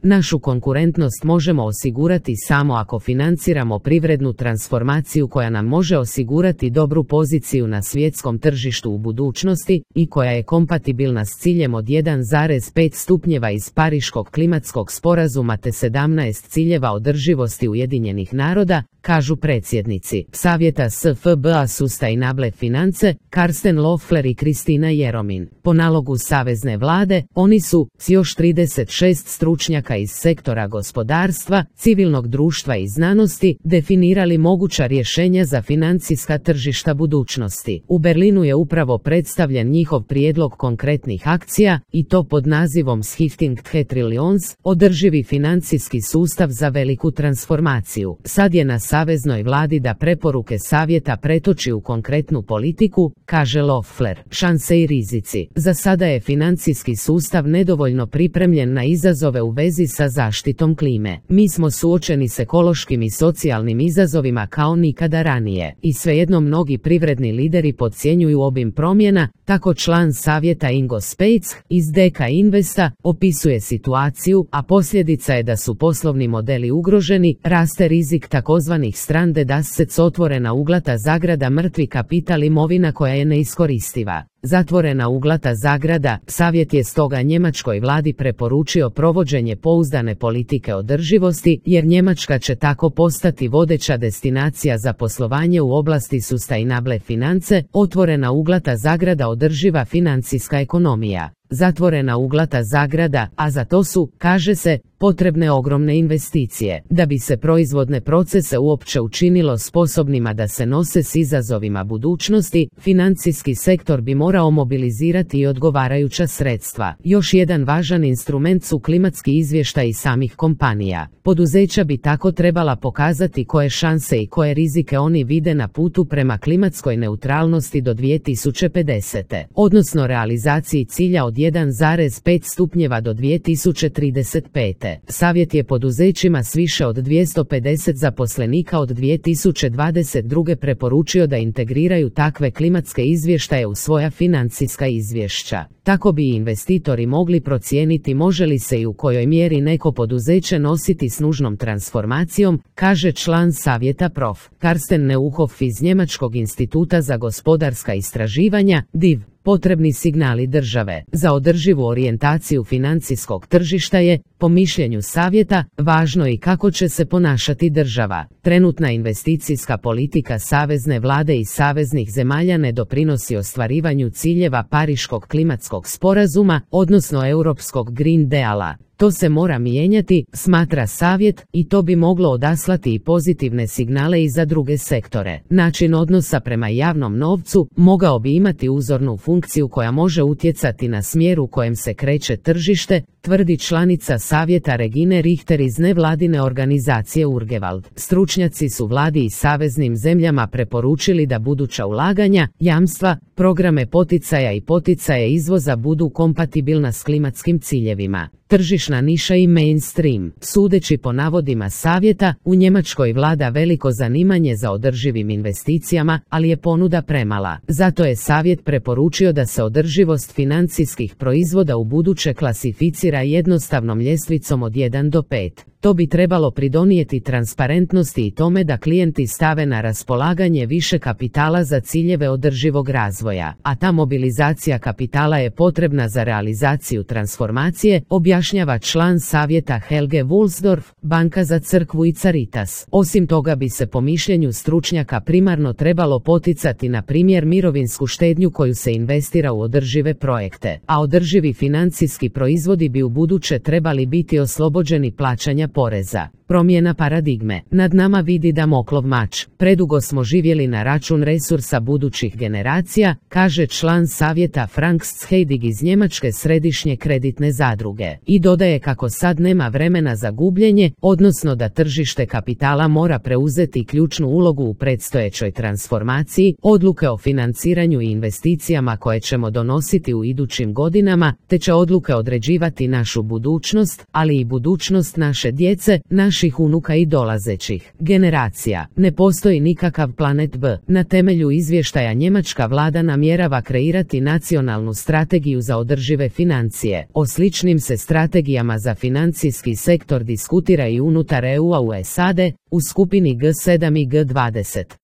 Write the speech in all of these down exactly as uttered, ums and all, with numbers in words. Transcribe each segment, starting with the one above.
Našu konkurentnost možemo osigurati samo ako financiramo privrednu transformaciju koja nam može osigurati dobru poziciju na svjetskom tržištu u budućnosti i koja je kompatibilna s ciljem od jedan zarez pet stupnjeva iz Pariškog klimatskog sporazuma te sedamnaest ciljeva održivosti Ujedinjenih naroda, kažu predsjednici Savjeta S F B A Sustainable Finance, Karsten Loeffler i Kristina Jeromin. Po nalogu Savezne vlade, oni su, s još trideset šest stručnjaka iz sektora gospodarstva, civilnog društva i znanosti, definirali moguća rješenja za financijska tržišta budućnosti. U Berlinu je upravo predstavljen njihov prijedlog konkretnih akcija, i to pod nazivom Shifting the Trillions, održivi financijski sustav za veliku transformaciju. Sad je na Saveznoj vladi da preporuke savjeta pretoči u konkretnu politiku, kaže Loeffler. Šanse i rizici. Za sada je financijski sustav nedovoljno pripremljen na izazove u vezi sa zaštitom klime. Mi smo suočeni s ekološkim i socijalnim izazovima kao nikada ranije. I svejedno mnogi privredni lideri podcjenjuju obim promjena, tako član savjeta Ingo Speitz iz D K Investa opisuje situaciju, a posljedica je da su poslovni modeli ugroženi, raste rizik takozvanih stranded assets, otvorena uglata zagrada mrtvi kapital, imovina koja je neiskoristiva. Zatvorena uglata zagrada. Savjet je stoga njemačkoj vladi preporučio provođenje pouzdane politike održivosti, jer Njemačka će tako postati vodeća destinacija za poslovanje u oblasti sustainable finance, otvorena uglata zagrada održiva financijska ekonomija. Zatvorena uglata zagrada, a za to su, kaže se, potrebne ogromne investicije. Da bi se proizvodne procese uopće učinilo sposobnima da se nose s izazovima budućnosti, financijski sektor bi morao mobilizirati i odgovarajuća sredstva. Još jedan važan instrument su klimatski izvještaji samih kompanija. Poduzeća bi tako trebala pokazati koje šanse i koje rizike oni vide na putu prema klimatskoj neutralnosti do dvije tisuće pedesete. Odnosno realizaciji cilja od jedan zarez pet stupnjeva do dvije tisuće trideset pete. Savjet je poduzećima s više od dvjesto pedeset zaposlenika od dvije tisuće dvadeset druge preporučio da integriraju takve klimatske izvještaje u svoja financijska izvješća. Tako bi investitori mogli procijeniti može li se i u kojoj mjeri neko poduzeće nositi s nužnom transformacijom, kaže član savjeta prof. Karsten Neuhoff iz Njemačkog instituta za gospodarska istraživanja, D I V. Potrebni signali države za održivu orijentaciju financijskog tržišta je, po mišljenju savjeta, važno i kako će se ponašati država. Trenutna investicijska politika savezne vlade i saveznih zemalja ne doprinosi ostvarivanju ciljeva Pariškog klimatskog sporazuma, odnosno Europskog Green Deala. To se mora mijenjati, smatra savjet, i to bi moglo odaslati i pozitivne signale i za druge sektore. Način odnosa prema javnom novcu mogao bi imati uzornu funkciju koja može utjecati na smjer u kojem se kreće tržište, tvrdi članica savjeta Regine Richter iz nevladine organizacije Urgewald. Stručnjaci su vladi i saveznim zemljama preporučili da buduća ulaganja, jamstva, programe poticaja i poticaje izvoza budu kompatibilna s klimatskim ciljevima. Tržišna niša i mainstream. Sudeći po navodima savjeta, u Njemačkoj vlada veliko zanimanje za održivim investicijama, ali je ponuda premala. Zato je savjet preporučio da se održivost financijskih proizvoda u buduće klasificira jednostavnom ljestvicom od jedan do pet. To bi trebalo pridonijeti transparentnosti i tome da klijenti stave na raspolaganje više kapitala za ciljeve održivog razvoja, a ta mobilizacija kapitala je potrebna za realizaciju transformacije, objašnjava član savjeta Helge Wulsdorf, Banka za crkvu i Caritas. Osim toga bi se po mišljenju stručnjaka primarno trebalo poticati na primjer mirovinsku štednju koju se investira u održive projekte, a održivi financijski proizvodi bi u buduće trebali biti oslobođeni plaćanja poreza. Promjena paradigme. Nad nama vidi Damoklov mač. Predugo smo živjeli na račun resursa budućih generacija, kaže član savjeta Frank Scheidig iz Njemačke središnje kreditne zadruge. I dodaje kako sad nema vremena za gubljenje, odnosno da tržište kapitala mora preuzeti ključnu ulogu u predstojećoj transformaciji, odluke o financiranju i investicijama koje ćemo donositi u idućim godinama, te će odluke određivati našu budućnost, ali i budućnost naše djece, naše naših unuka i dolazećih generacija. Ne postoji nikakav planet B. Na temelju izvještaja njemačka vlada namjerava kreirati nacionalnu strategiju za održive financije. O sličnim se strategijama za financijski sektor diskutira i unutar E U-a u S A D, u skupini G sedam i G dvadeset.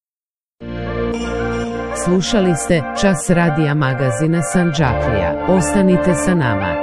Slušali ste Čas radija magazina Sandžaklija. Ostanite sa nama.